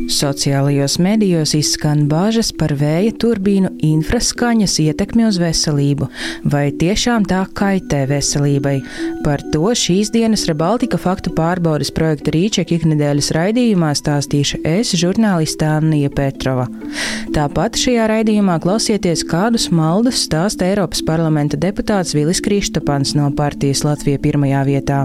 Sociālajos medijos izskan bāžas par vēja turbīnu infraskaņas ietekmi uz veselību. Vai tiešām tā kaitē veselībai? Par to šīs dienas Rebaltika faktu pārbaudes projekta Rīček iknedēļas raidījumā stāstīšu es, žurnāliste Annija Petrova. Tāpat šajā raidījumā klausieties, kādus maldus stāsta Eiropas parlamenta deputāts Vilis Kristapans no partijas Latvija pirmajā vietā.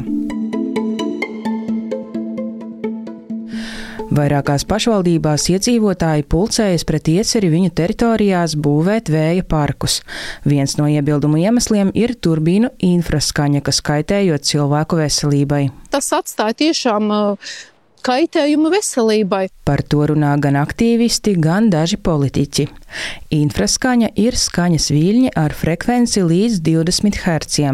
Vairākās pašvaldībās iedzīvotāji pulcējas pret ieceri viņu teritorijās būvēt vēja parkus. Viens no iebildumu iemesliem ir turbīnu infraskaņa, kas kaitējot cilvēku veselībai. Tas atstāja tiešām kaitējumu veselībai. Par to runā gan aktīvisti, gan daži politiķi. Infraskaņa ir skaņas viļņi ar frekvenci līdz 20 Hz.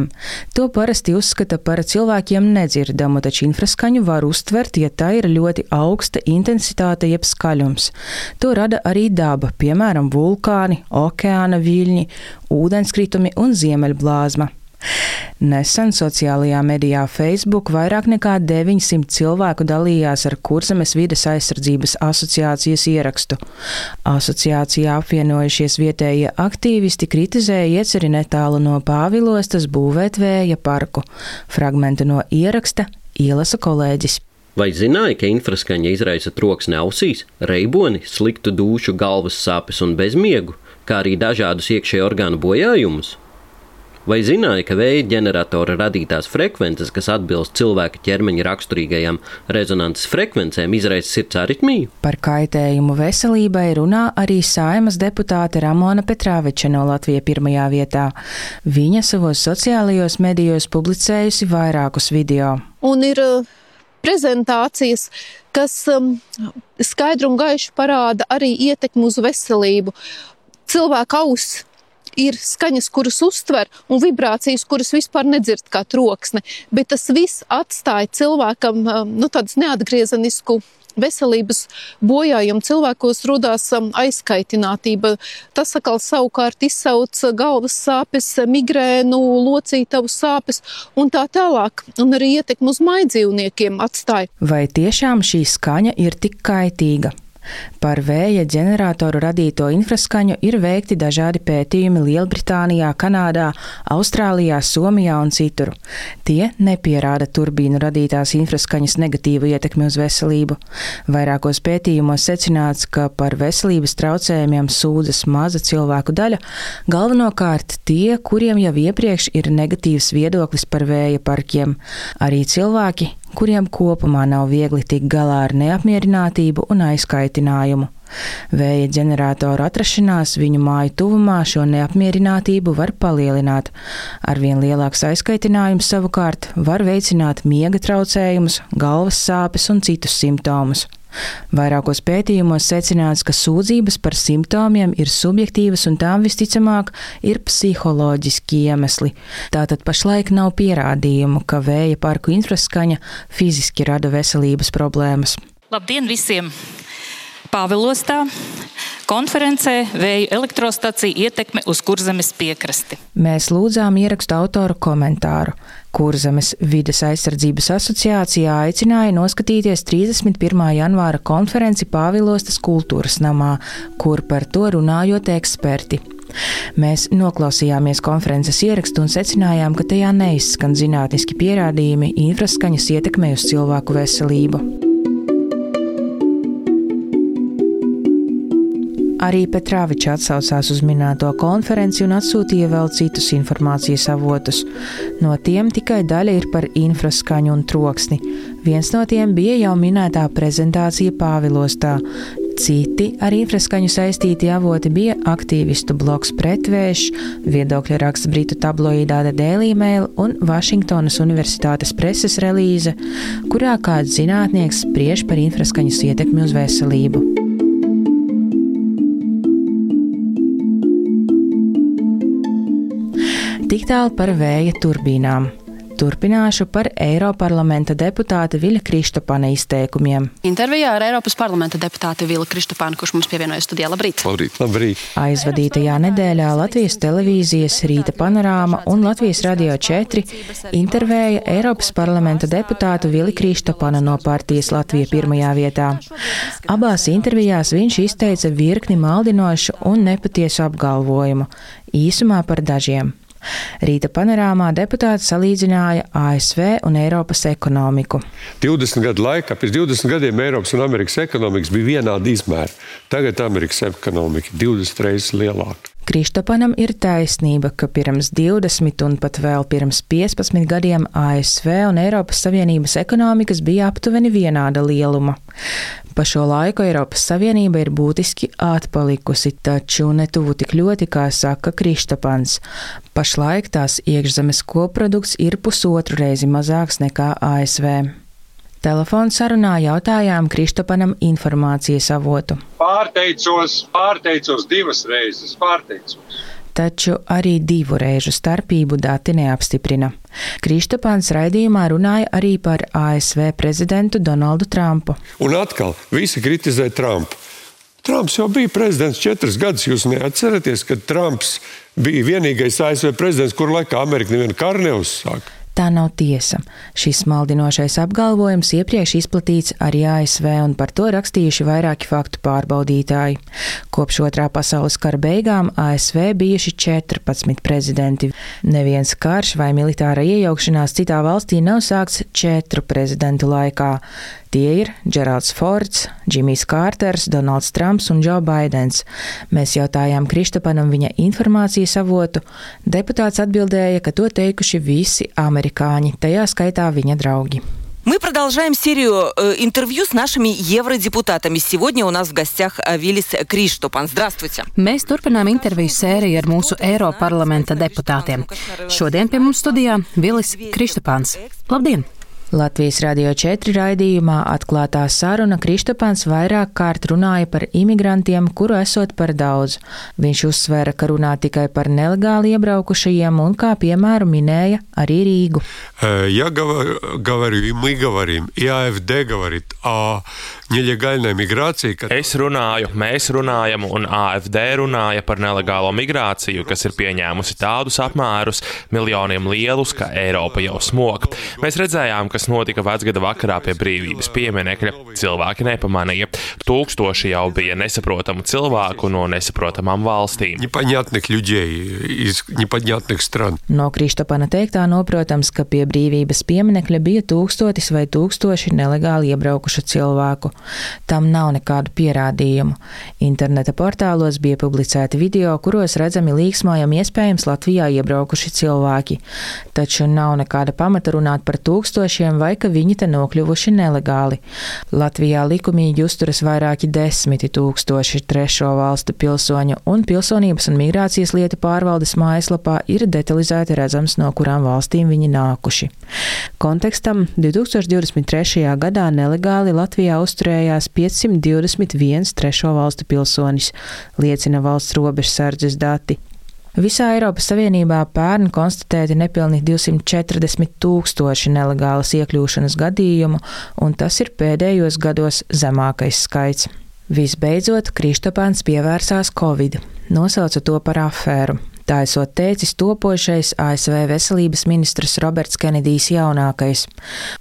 To parasti uzskata par cilvēkiem nedzirdamu, taču infraskaņu var uztvert, ja tā ir ļoti augsta intensitāte jeb skaļums. To rada arī daba, piemēram, vulkāni, okeāna viļņi, ūdenskritumi un ziemeļblāzma. Nesen sociālajā medijā Facebook vairāk nekā 900 cilvēku dalījās ar Kurzemes vides aizsardzības asociācijas ierakstu. Asociācijā apvienojušies vietējie aktīvisti kritizēja ieceri netālu no Pāvilostas būvēt vēja parku. Fragmentu no ieraksta ielasa kolēģis. Vai zināja, ka infraskaņa izraisa troksni ausīs, reiboni, sliktu dūšu, galvas sāpes un bezmiegu, kā arī dažādus iekšējo orgānu bojājumus? Vai zināja, ka vēja ģeneratora radītās frekvences, kas atbilst cilvēka ķermeņa raksturīgajām rezonances frekvencēm, izraisa sirds aritmiju? Par kaitējumu veselībai runā arī Saeimas deputāte Ramona Petrāveča no Latvija pirmajā vietā. Viņa savos sociālajos medijos publicējusi vairākus video. Un ir prezentācijas, kas skaidru un gaišu parāda arī ietekmi uz veselību. Cilvēka auss ir skaņas, kuras uztver, un vibrācijas, kuras vispār nedzird kā troksni, bet tas viss atstāja cilvēkam tādas neatgriezenisku veselības bojājumu. Cilvēkos rodās aizkaitinātība. Tas atkal savukārt izsauc galvas sāpes, migrēnu, locītavu sāpes un tā tālāk. Un arī ietekmi uz maidzīvniekiem atstāja. Vai tiešām šī skaņa ir tik kaitīga? Par vēja ģeneratoru radīto infraskaņu ir veikti dažādi pētījumi Lielbritānijā, Kanādā, Austrālijā, Somijā un citur. Tie nepierāda turbīnu radītās infraskaņas negatīvu ietekmi uz veselību. Vairākos pētījumos secināts, ka par veselības traucējumiem sūdzas maza cilvēku daļa, galvenokārt tie, kuriem jau iepriekš ir negatīvs viedoklis par vēja parkiem. Arī cilvēki, kuriem kopumā nav viegli tikt galā ar neapmierinātību un aizkaitinājumu. Vēja ģeneratoru atrašanās viņu māju tuvumā šo neapmierinātību var palielināt. Arvien lielāks aizkaitinājums savukārt var veicināt miega traucējumus, galvas sāpes un citus simptomus. Vairākos pētījumos secināts, ka sūdzības par simptomiem ir subjektīvas un tām visticamāk ir psiholoģiski iemesli. Tātad pašlaik nav pierādījumu, ka vēja parku infraskaņa fiziski rada veselības problēmas. Labdien visiem! Pāvilostā konferencē vēju elektrostacija ietekme uz Kurzemes piekrasti. Mēs lūdzām ierakstu autoru komentāru. Kurzemes vides aizsardzības asociācijā aicināja noskatīties 31. janvāra konferenci Pāvilostas kultūras namā, kur par to runājot eksperti. Mēs noklausījāmies konferences ierakstu un secinājām, ka tajā neizskan zinātniski pierādījumi infraskaņas ietekmē uz cilvēku veselību. Arī Petrāviča atsaucās uz minēto konferenci un atsūtīja vēl citus informācijas avotus. No tiem tikai daļa ir par infraskaņu un troksni. Viens no tiem bija jau minētā prezentācija Pāvilostā. Citi ar infraskaņu saistīti avoti bija aktīvistu bloks Pretvējš, viedokļa raksts britu tabloīdā The Daily Mail un Vašingtonas Universitātes preses relīze, kurā kāds zinātnieks spriež par infraskaņas ietekmi uz veselību. Tik tālu par vēja turbīnām. Turpināšu par Eiroparlamenta deputāta Viļa Kristopana izteikumiem. Intervijā ar Eiropas parlamenta deputāti Viļu Kristopanu, kurš mums pievienojas studijā. Labrīt! Labrīt! Aizvadītajā nedēļā Latvijas televīzijas Rīta panorāma un Latvijas radio 4 intervēja Eiropas parlamenta deputātu Viļu Kristopanu no partijas Latvija pirmajā vietā. Abās intervijās viņš izteica virkni maldinošu un nepatiesu apgalvojumu, īsumā par dažiem. Rīta panorāmā deputāts salīdzināja ASV un Eiropas ekonomiku. 20 gadu laikā, pēc 20 gadiem Eiropas un Amerikas ekonomikas bija vienāda izmēra. Tagad Amerikas ekonomika 20 reizes lielāka. Kristopanam ir taisnība, ka pirms 20 un pat vēl pirms 15 gadiem ASV un Eiropas Savienības ekonomikas bija aptuveni vienāda lieluma. Pa šo laiku Eiropas Savienība ir būtiski atpalikusi, taču ne tuvu tik ļoti, kā saka Kristopans. Pašlaik tās iekšzemes koprodukts ir 1,5 reizi mazāks nekā ASV. Telefonu sarunā jautājām Kristopanam informācijas avotu. Pārteicos 2 reizes, Taču arī 2 reižu starpību dati neapstiprina. Kristopans raidījumā runāja arī par ASV prezidentu Donaldu Trumpu. Un atkal, visi kritizē Trumpu. Trumps jau bija prezidents 4 gadus. Jūs neatceraties, ka Trumps bija vienīgais ASV prezidents, kuru laikā Amerika nevienu karu neuzsāka? Tā nav tiesa. Šis maldinošais apgalvojums iepriekš izplatīts arī ASV, un par to rakstījuši vairāki faktu pārbaudītāji. Kopš Otrā pasaules kara beigām ASV bijuši 14 prezidenti. Neviens karš vai militāra iejaukšanās citā valstī nav sākts 4 prezidentu laikā. Tie ir Džeralds Fords, Džimijs Kārters, Donalds Trumps un Džo Baidens. Mēs jautājām Kristopanam viņa informācijas avotu. Deputāts atbildēja, ka to teikuši visi amerikāņi, tajā skaitā viņa draugi. Мы продолжаем серию интервью с нашими евродепутатами. Сегодня у нас в гостях Вилис Крistopans. Здравствуйте! Mēs turpinām interviju sēriju ar mūsu Eiroparlamenta deputātiem. Šodien pie mums studijā Vilis Kristopans. Labdien! Latvijas radio 4 raidījumā atklātā saruna Kristopans vairāk kārt runāja par imigrantiem, kuru esot par daudz. Viņš uzsvēra, ka runā tikai par nelegāli iebraukušajiem un kā piemēru minēja arī Rīgu. Я говорю, и мы говорим, и AfD говорит о нелегальной миграции. Es runāju, mēs runājam un AfD runāja par nelegālo migrāciju, kas ir pieņēmusi tādus apmērus, miljoniem lielus, ka Eiropa jau smog. Mēs redzējām, kas notika vecgada vakarā pie brīvības pieminekļa. Cilvēki nepamanīja. Tūkstoši jau bija nesaprotamu cilvēku no nesaprotamām valstīm. Непонятных людей из непонятных стран. No Kristopana teiktā noprotams, ka pie brīvības pieminekļa bija 1000 vai 1000 nelegāli iebraukušu cilvēku. Tam nav nekādu pierādījumu. Interneta portālos bija publicēti video, kuros redzami līksmojami iespējams Latvijā iebraukuši cilvēki. Taču nav nekāda pamata runāt par 1000 vai ka viņi te nokļuvuši nelegāli. Latvijā likumīgi uzturas vairāki 10 000 trešo valstu pilsoņu, un Pilsonības un migrācijas lietu pārvaldes mājaslapā ir detalizēti redzams, no kurām valstīm viņi nākuši. Kontekstam 2023. gadā nelegāli Latvijā uzturējās 521 trešo valstu pilsonis, liecina valsts robežsardzes dati. Visā Eiropas Savienībā pērn konstatēti nepilni 240 000 nelegālas iekļūšanas gadījumu, un tas ir pēdējos gados zemākais skaits. Visbeidzot, Kristopans pievērsās Covid, nosauca to par afēru. Tā esot teicis topošais ASV veselības ministrs Roberts Kenedijs jaunākais.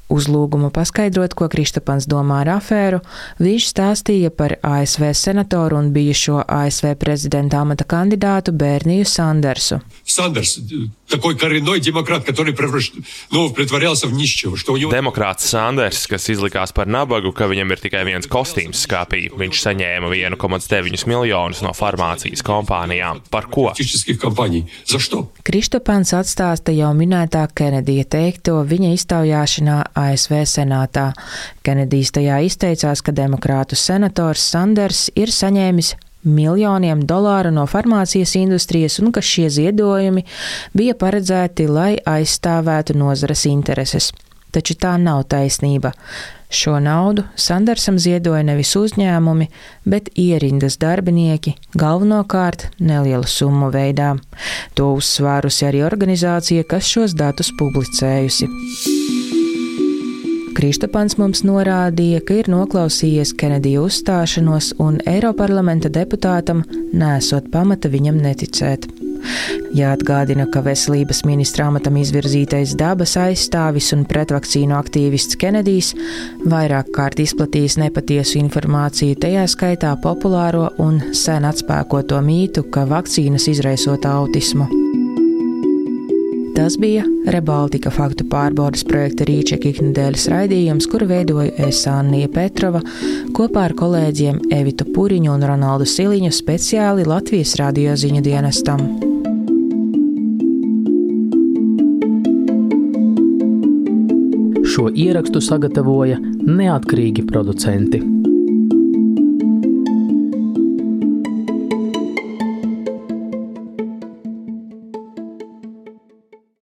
Uz lūgumu paskaidrot, ko Kristopans domā ar afēru, viņš stāstīja par ASV senatoru un bijušo ASV prezidenta amata kandidātu Berniju Sandersu. Сандерс, такой коренной демократ, который притворялся в нищего, что у него... Demokrāts Sanders, kas izlikās par nabagu, ka viņam ir tikai viens kostīms skapī. Viņš saņēma 1,9 miljonus no farmācijas kompānijām. Par ko? Kristopans atstāsta jau minētā Kenedija teikto viņa iztaujāšanā ASV senātā. Kenedijs tajā izteicās, ka demokrātu senators Sanders ir saņēmis miljoniem dolāru no farmācijas industrijas un ka šie ziedojumi bija paredzēti, lai aizstāvētu nozares intereses. taču tā nav taisnība. Šo naudu Sandersam ziedoja nevis uzņēmumi, bet ierindas darbinieki, galvenokārt nelielu summu veidā. To uzsvērusi arī organizācija, kas šos datus publicējusi. Kristopans mums norādīja, ka ir noklausījies Kenedija uzstāšanos un Eiroparlamenta deputātam nesot pamata viņam neticēt. Jāatgādina, ka veselības ministra amatam izvirzītais dabas aizstāvis un pretvakcīnu aktīvists Kenedijs vairāk kārt izplatījis nepatiesu informāciju, tajā skaitā populāro un sen atspēkoto mītu, ka vakcīnas izraisot autismu. Tas bija Rebaltika faktu pārbaudes projekta Rīčeka iknedēļas raidījums, kuru veidoju es Annija Petrova kopā ar kolēģiem Evitu Puriņu un Ronaldu Siliņu speciāli Latvijas radio ziņu dienestam. Šo ierakstu sagatavoja neatkarīgi producenti.